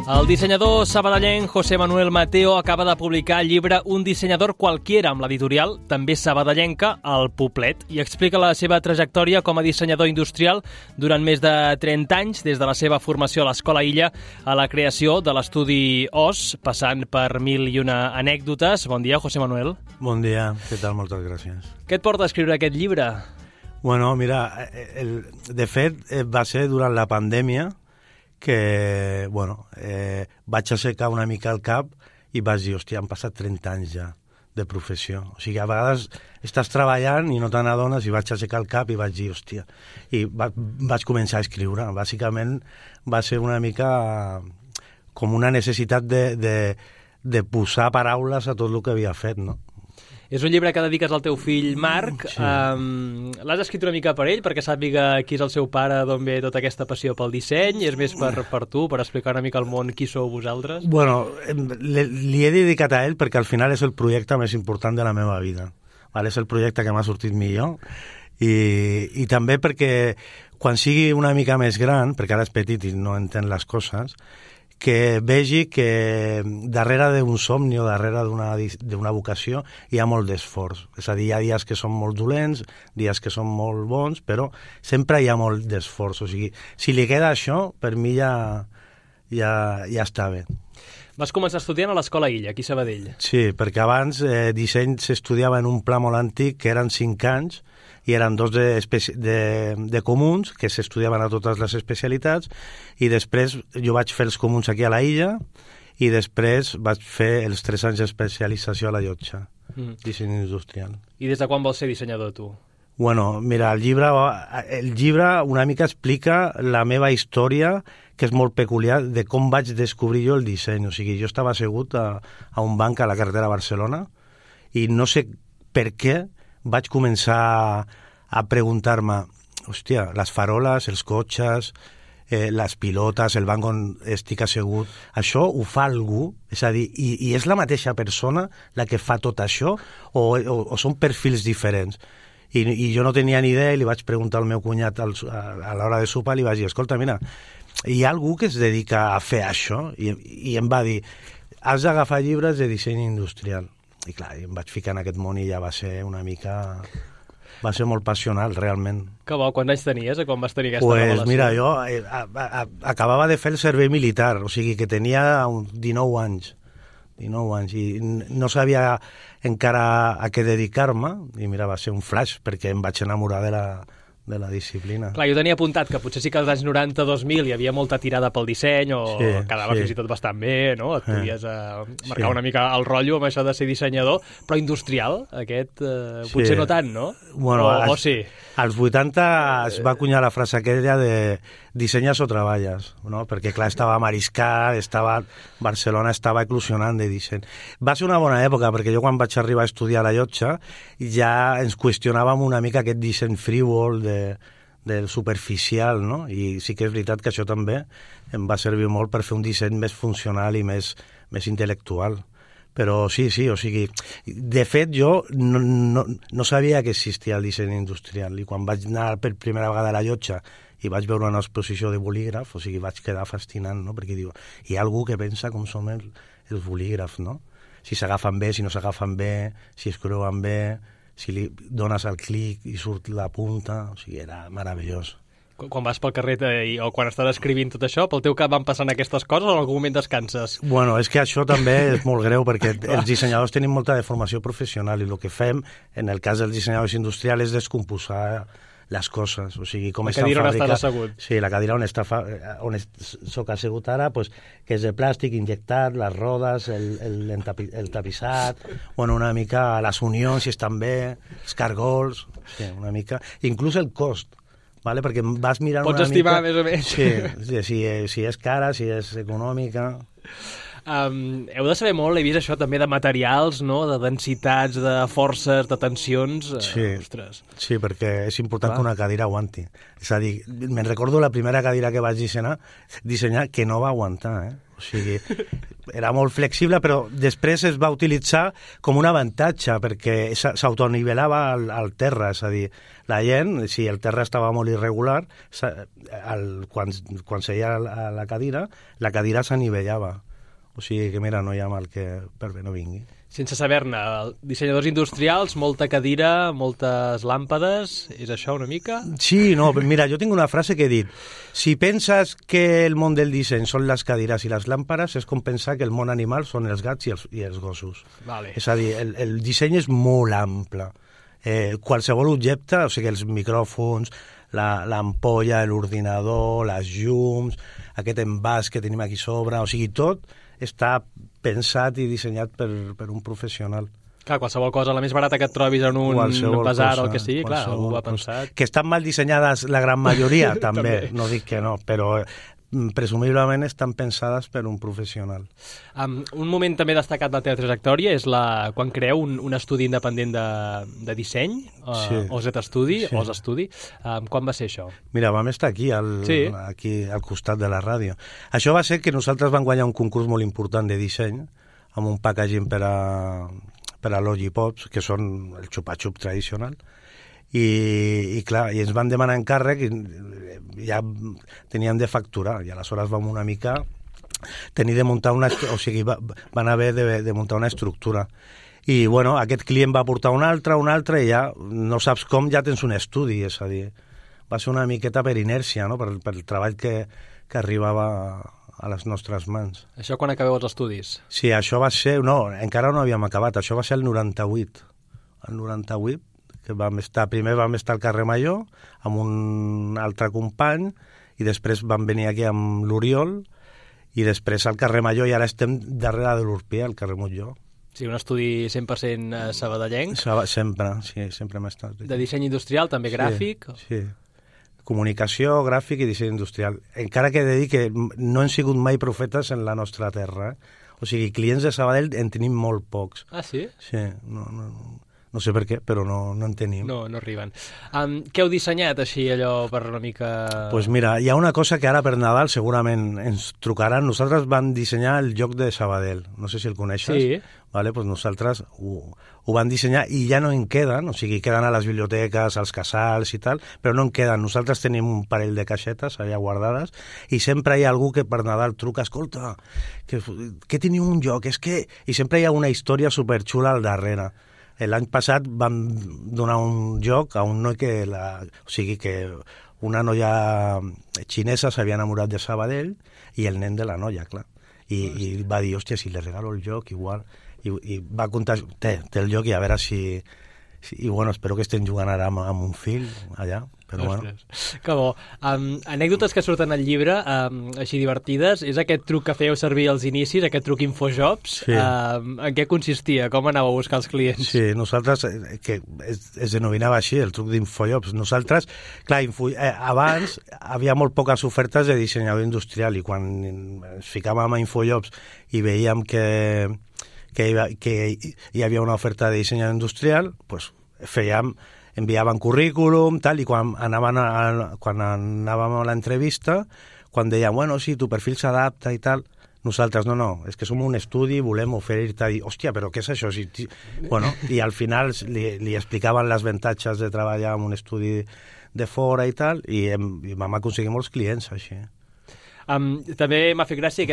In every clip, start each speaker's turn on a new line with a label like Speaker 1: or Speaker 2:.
Speaker 1: El dissenyador sabadellenc José Manuel Mateo acaba de publicar el llibre Un dissenyador qualquiera amb l'editorial, també sabadellenca, El Poblet, i explica la seva trajectòria com a dissenyador industrial durant més de 30 anys, des de la seva formació a l'Escola Illa a la creació de l'estudi OS, passant per mil i una anècdotes. Bon dia, José Manuel.
Speaker 2: Bon dia, què tal? Moltes gràcies.
Speaker 1: Què et porta a escriure aquest llibre?
Speaker 2: Bueno, mira, de fet va ser durant la pandèmia que, vaig assecar una mica el cap i vaig dir, hòstia, han passat 30 anys ja de professió. O sigui, a vegades estàs treballant i no te n'adones, i vaig assecar el cap i vaig dir, hòstia, i vaig començar a escriure. Bàsicament va ser una mica com una necessitat de posar paraules a tot el que havia fet, no?
Speaker 1: És un llibre que dediques al teu fill Marc.
Speaker 2: Sí.
Speaker 1: L'has escrit una mica per ell, perquè sàpiga qui és el seu pare, d'on ve tota aquesta passió pel disseny? És més per tu, per explicar una mica al món qui sou vosaltres?
Speaker 2: Bueno, li he dedicat a ell perquè al final és el projecte més important de la meva vida. És el projecte que m'ha sortit millor. I també perquè quan sigui una mica més gran, perquè ara és petit i no entén les coses, que vegi que darrere d'un somni o darrere d'una vocació hi ha molt d'esforç. És a dir, hi ha dies que són molt dolents, dies que són molt bons, però sempre hi ha molt d'esforç. O sigui, si li queda això, per mi ja està bé.
Speaker 1: Vas començar estudiant a l'Escola Illa, aquí a Sabadell.
Speaker 2: Sí, perquè abans disseny s'estudiava en un pla molt antic, que eren 5 anys, i eren 2 de comuns, que s'estudiaven a totes les especialitats, i després jo vaig fer els comuns aquí a la Illa, i després vaig fer els 3 anys d'especialització a la Llotja, disseny industrial.
Speaker 1: I des de quan vols ser dissenyador, tu?
Speaker 2: Bueno, mira, el llibre una mica explica la meva història, que és molt peculiar, de com vaig descobrir jo el disseny. O sigui, jo estava assegut a un banc a la carretera de Barcelona, i no sé per què vaig començar a preguntar-me, hòstia, les faroles, els cotxes, les pilotes, el banc on estic assegut, això ho fa algú? És a dir, i és la mateixa persona la que fa tot això, o són perfils diferents? I jo no tenia ni idea, i li vaig preguntar al meu cunyat a l'hora de sopar, li vaig dir, escolta, mira, hi ha algú que es dedica a fer això? I em va dir, has d'agafar llibres de disseny industrial. I clar, em vaig ficar en aquest món i ja va ser una mica... Va ser molt passional, realment.
Speaker 1: Que bo, quants anys tenies quan vas tenir aquesta revelació?
Speaker 2: Mira, jo acabava de fer el servei militar, o sigui que tenia 19 anys. 19 anys, i no sabia encara a què dedicar-me, i mira, va ser un flash, perquè em vaig enamorar de la disciplina.
Speaker 1: Clar, jo tenia apuntat que potser sí que als anys 90-2000 hi havia molta tirada pel disseny, o quedava fins i tot bastant bé, no? Et podies marcar una mica el rotllo amb això de ser dissenyador, però industrial, aquest, potser no tant, no?
Speaker 2: Bueno,
Speaker 1: o sí?
Speaker 2: Als 80 es va acunyar la frase aquella de dissenyes o treballes, no? Perquè, clar, estava Mariscal, Barcelona estava eclosionant de disseny. Va ser una bona època, perquè jo quan vaig arribar a estudiar a la Llotja ja ens qüestionàvem una mica aquest disseny frívol, del superficial, no? I sí que és veritat que això també em va servir molt per fer un disseny més funcional i més intel·lectual. Però sí, o sigui, de fet jo no sabia que existia el disseny industrial, i quan vaig anar per primera vegada a la Llotja i vaig veure una exposició de bolígraf, o sigui, vaig quedar fascinant, no? Perquè diu, hi ha algú que pensa com som els bolígrafs, no? Si s'agafen bé, si no s'agafen bé, si es creuen bé, si li dones el clic i surt la punta, o sigui, era meravellós.
Speaker 1: Quan vas pel carrer o quan estàs escrivint tot això, pel teu cap van passant aquestes coses o en algun moment descanses?
Speaker 2: Bueno, és que això també és molt greu, perquè els dissenyadors tenim molta de formació professional, i el que fem, en el cas dels dissenyadors industrials, és descomposar les coses, o sigui, com estan fabricats.
Speaker 1: La cadira on estàs assegut.
Speaker 2: Sí, la cadira on soc assegut ara, pues, que és de plàstic injectat, les rodes, el tapissat, bueno, una mica les unions, si estan bé, els cargols, sí, una mica, inclús el cost, vale? Perquè vas mirant
Speaker 1: Pots
Speaker 2: una
Speaker 1: estimar
Speaker 2: mica...
Speaker 1: més o menys.
Speaker 2: Sí, si és cara, si és econòmica...
Speaker 1: Heu de saber molt, he vist això també de materials, no? De densitats, de forces, de tensions.
Speaker 2: Sí,
Speaker 1: ostres.
Speaker 2: sí, perquè és important que una cadira aguanti. És a dir, me'n recordo la primera cadira que vaig dissenyar que no va aguantar, O sigui, era molt flexible, però després es va utilitzar com un avantatge, perquè s'autonivelava al terra, és a dir, la gent, si el terra estava molt irregular, quan seia a la cadira s'anivellava. O sigui que, mira, no hi ha mal que per bé no vingui.
Speaker 1: Sense saber-ne, dissenyadors industrials, molta cadira, moltes làmpades, és això una mica?
Speaker 2: Sí, no, mira, jo tinc una frase que he dit: si penses que el món del disseny són les cadires i les làmpades, és com pensar que el món animal són els gats i els gossos.
Speaker 1: Vale.
Speaker 2: És a dir, el disseny és molt ample. Qualsevol objecte, o sigui, els micròfons, l'ampolla, l'ordinador, les llums, aquest envàs que tenim aquí sobre, o sigui, tot està pensat i dissenyat per un professional.
Speaker 1: Clar, qualsevol cosa, la més barata que et trobis en un basar o el que sigui, clar, algú ho ha pensat.
Speaker 2: Que estan mal dissenyades la gran majoria, també, no dic que no, però presumiblement estan pensades per un professional.
Speaker 1: Un moment també destacat de la teva trajectòria és quan creu un estudi independent de disseny, OZ-Estudi, o OZ-Estudi. Quan va ser això?
Speaker 2: Mira, vam estar aquí al costat de la ràdio. Això va ser que nosaltres vam guanyar un concurs molt important de disseny, amb un packaging per a Logipops, que són el xupa-xup tradicional, i clar, i ens van demanar encàrrec i ja teníem de facturar, i aleshores vam una mica tenir de muntar van haver de muntar una estructura. I bueno, aquest client va portar un altre, i ja no saps com, ja tens un estudi, és a dir, va ser una miqueta per inèrcia, no? per el treball que arribava a les nostres mans.
Speaker 1: Això quan acabeu els estudis?
Speaker 2: Sí, això va ser... No, encara no havíem acabat, això va ser el 98. El 98, que primer vam estar al carrer Major amb un altre company i després vam venir aquí amb l'Oriol i després al carrer Major i ara estem darrere de l'Urpia, al carrer Montllor.
Speaker 1: Sí, un estudi 100% sabadellenc.
Speaker 2: Sempre hem estat.
Speaker 1: De disseny industrial, també gràfic?
Speaker 2: Sí. Comunicació, gràfic i disseny industrial. Encara que he de dir que no hem sigut mai profetes en la nostra terra. O sigui, clients de Sabadell en tenim molt pocs.
Speaker 1: Ah, sí?
Speaker 2: Sí, no sé per què, però no en tenim.
Speaker 1: No arriben. Què heu dissenyat així, allò, per una mica...
Speaker 2: Doncs mira, hi ha una cosa que ara per Nadal segurament ens trucaran. Nosaltres vam dissenyar el joc de Sabadell. No sé si el coneixes.
Speaker 1: Sí.
Speaker 2: Vale, doncs nosaltres ho vam dissenyar i ja no en queden, o sigui, queden a les biblioteques, als casals i tal, però no en queden. Nosaltres tenim un parell de caixetes allà guardades i sempre hi ha algú que per Nadal truca: escolta, que teniu un joc, és que... I sempre hi ha una història superxula al darrere. L'any passat vam donar un joc a un noi que una noia xinesa s'havia enamorat de Sabadell i el nen de la noia, clar. I va dir, hòstia, si li regalo el joc, igual... I va comptar, té el joc i a veure si... I bueno, espero que estem jugant ara amb un fill allà, però bueno.
Speaker 1: Que bo. Anècdotes que surten al llibre, així divertides, és aquest truc que fèieu servir als inicis, aquest truc Infojobs.
Speaker 2: Sí.
Speaker 1: En què consistia? Com anàveu a buscar els clients?
Speaker 2: Sí, nosaltres, que es denominava així, el truc d'Infojobs. Nosaltres, clar, abans havia molt poques ofertes de dissenyador industrial i quan ens ficàvem a Infojobs i veiem que hi havia una oferta de dissenyador industrial, pues enviàvem currículum, tal, i quan anàvem a l'entrevista, quan deien, bueno, sí, tu perfil s'adapta i tal, nosaltres, no, és que som un estudi, volem oferir-te, i, hòstia, però què és això? Bueno, i al final li explicaven les avantatges de treballar en un estudi de fora i tal, i vam aconseguir molts clients, així.
Speaker 1: També m'ha fet gràcia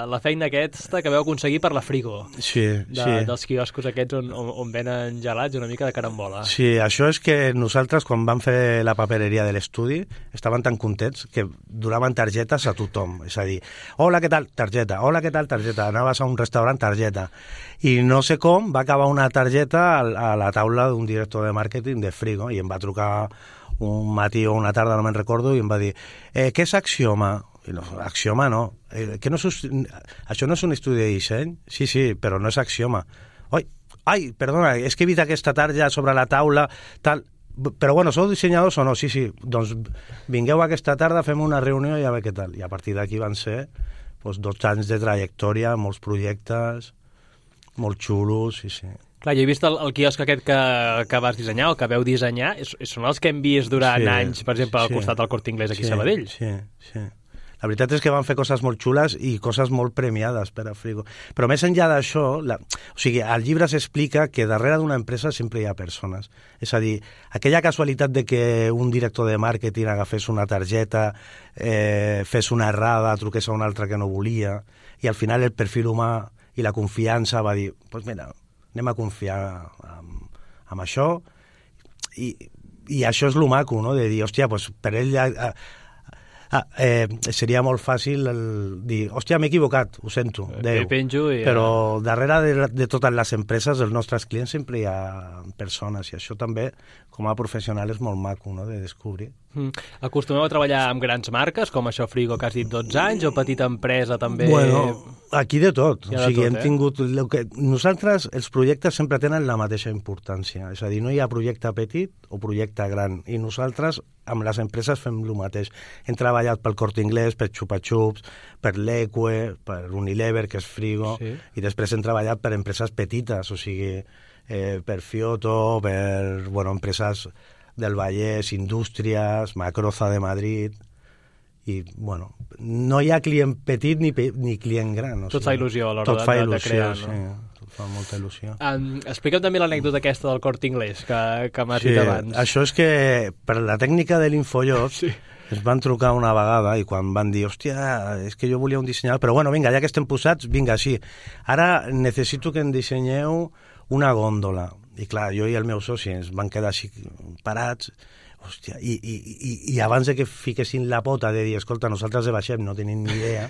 Speaker 1: la feina aquesta que vau aconseguir per la Frigo.
Speaker 2: Sí.
Speaker 1: Dels quioscos aquests on venen gelats, una mica de carambola.
Speaker 2: Sí, això és que nosaltres, quan vam fer la papereria de l'estudi, estaven tan contents que donaven targetes a tothom. És a dir, hola, què tal? Targeta. Hola, què tal? Targeta. Anaves a un restaurant, targeta. I no sé com va acabar una targeta a la taula d'un director de màrqueting de Frigo i em va trucar un matí o una tarda, no me'n recordo, i em va dir, què és Axioma? I no, Axioma no. Això no és un estudi de disseny? Sí, però no és Axioma. Ai, perdona, és que he vist aquesta tarja sobre la taula, tal. Però bueno, sou dissenyadors o no? Sí, doncs vingueu aquesta tarda, fem una reunió i a veure què tal. I a partir d'aquí van ser doncs 12 anys de trajectòria, molts projectes, molt xulos, sí.
Speaker 1: Clar, jo he vist el quiosc aquest que vas dissenyar, o que veu dissenyar, són els que hem vist durant anys, per exemple, al costat del Corte Inglés aquí a Sabadell.
Speaker 2: Sí. La veritat és que van fer coses molt xules i coses molt premiades per a Frigo. Però més enllà d'això, o sigui, al llibre s'explica que darrere d'una empresa sempre hi ha persones. És a dir, aquella casualitat de que un director de màrqueting agafés una targeta, fes una errada, truqués a un altre que no volia, i al final el perfil humà i la confiança va dir, doncs mira, anem a confiar en això, i això és lo maco, no?, de dir, hòstia, doncs per ell seria molt fàcil dir, hòstia, m'he equivocat, ho sento, Déu. Però darrere de totes les empreses, dels nostres clients, sempre hi ha persones, i això també, com a professional, és molt maco, no?, de descobrir.
Speaker 1: Acostumeu a treballar amb grans marques, com això Frigo, que has dit 12 anys, o petita empresa també?
Speaker 2: Bueno, aquí de tot. O sigui, hem tingut... Nosaltres, els projectes sempre tenen la mateixa importància. És a dir, no hi ha projecte petit o projecte gran. I nosaltres, amb les empreses, fem el mateix. Hem treballat pel Corte Inglés, per Chupa Chups, per l'Eque, per Unilever, que és Frigo, i després hem treballat per empreses petites, o sigui, per Fioto, per empreses del Vallès, Indústries, Macroza de Madrid, i, no hi ha client petit ni client gran.
Speaker 1: Tot fa il·lusió a l'hora de crear, no?
Speaker 2: Sí, tot fa molta il·lusió.
Speaker 1: Explica'm també l'anècdota aquesta del Corte Inglés, que m'has dit abans.
Speaker 2: Això és que, per la tècnica de l'Infollot, ens van trucar una vegada i quan van dir, hòstia, és que jo volia un dissenyador, però vinga, ja que estem posats, vinga, sí. Ara necessito que em dissenyeu una gòndola. I clar, jo i el meu soci ens van quedar així parats, hòstia, i abans de que fiquessin la pota de dir, escolta, nosaltres de baixem, no tenim ni idea,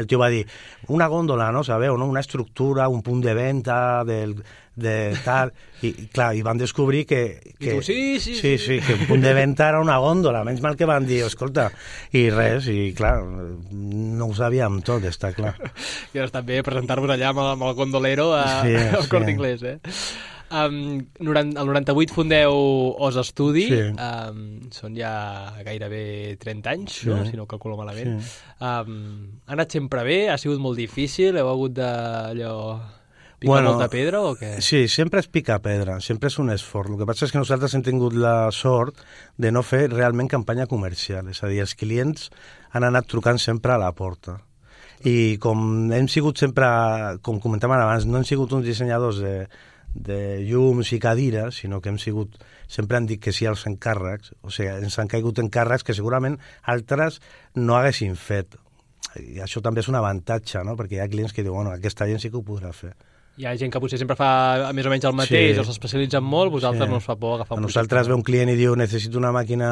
Speaker 2: el tio va dir, una gòndola, no, sabeu, no? Una estructura, un punt de venda, de tal, i clar, i van descobrir que...
Speaker 1: I tu, sí,
Speaker 2: que un punt de venda era una gòndola, menys mal que van dir, escolta, i res, i clar, no ho sabíem tot, està clar.
Speaker 1: I doncs també presentar-vos allà amb el gondolero al Corte Inglés, el 98 fundeu Os Estudi, són ja gairebé 30 anys, no? Si no ho calculo malament. Ha anat sempre bé? Ha sigut molt difícil? Heu hagut de picar molta pedra o què?
Speaker 2: Sí, sempre és picar pedra, sempre és un esforç. El que passa és que nosaltres hem tingut la sort de no fer realment campanya comercial, és a dir, els clients han anat trucant sempre a la porta. I com hem sigut sempre, com comentàvem abans, no hem sigut uns dissenyadors de llums i cadires, sinó que sempre han dit que sí als encàrrecs, o sigui, ens han caigut encàrrecs que segurament altres no haguessin fet. I això també és un avantatge, no?, perquè hi ha clients que diuen, aquesta gent sí que ho podrà fer.
Speaker 1: Hi ha gent que potser sempre fa més o menys el mateix, o s'especialitzen molt, vosaltres no us fa por agafar un projecte.
Speaker 2: Nosaltres ve un client i diu, necessito una màquina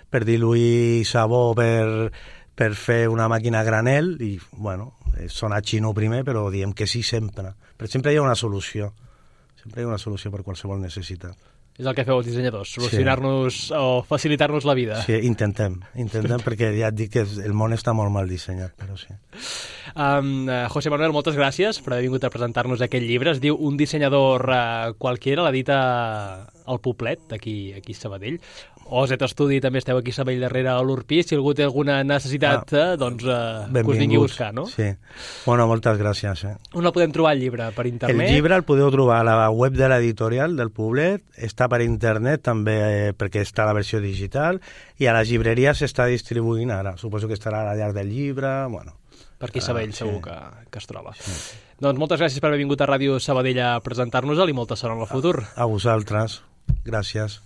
Speaker 2: per diluir sabó, per fer una màquina a granel, i, sona xino primer, però diem que sí sempre. Però sempre hi ha una solució. Sempre hi ha una solució per qualsevol necessitat.
Speaker 1: És el que feu els dissenyadors, solucionar-nos o facilitar-nos la vida.
Speaker 2: Sí, intentem, perquè ja et dic que el món està molt mal dissenyat, però sí.
Speaker 1: José Manuel, moltes gràcies per haver vingut a presentar-nos aquest llibre. Es diu Un dissenyador qualquiera, l'edita el Poblet, aquí a Sabadell. OZ Estudi també esteu aquí a Sabadell darrere a l'Urpí. Si algú té alguna necessitat, doncs que us vingui a buscar, no?
Speaker 2: Sí. Moltes gràcies.
Speaker 1: On el podem trobar, el llibre? Per internet?
Speaker 2: El llibre el podeu trobar a la web de l'editorial del Poblet, està per internet també perquè està la versió digital, i a les llibreries s'està distribuint ara. Suposo que estarà a la llarg del llibre,
Speaker 1: per aquí a Sabadell segur que es troba. Sí. Doncs moltes gràcies per haver vingut a Ràdio Sabadell a presentar-nos-el i molta sort en el futur.
Speaker 2: A vosaltres. Gràcies.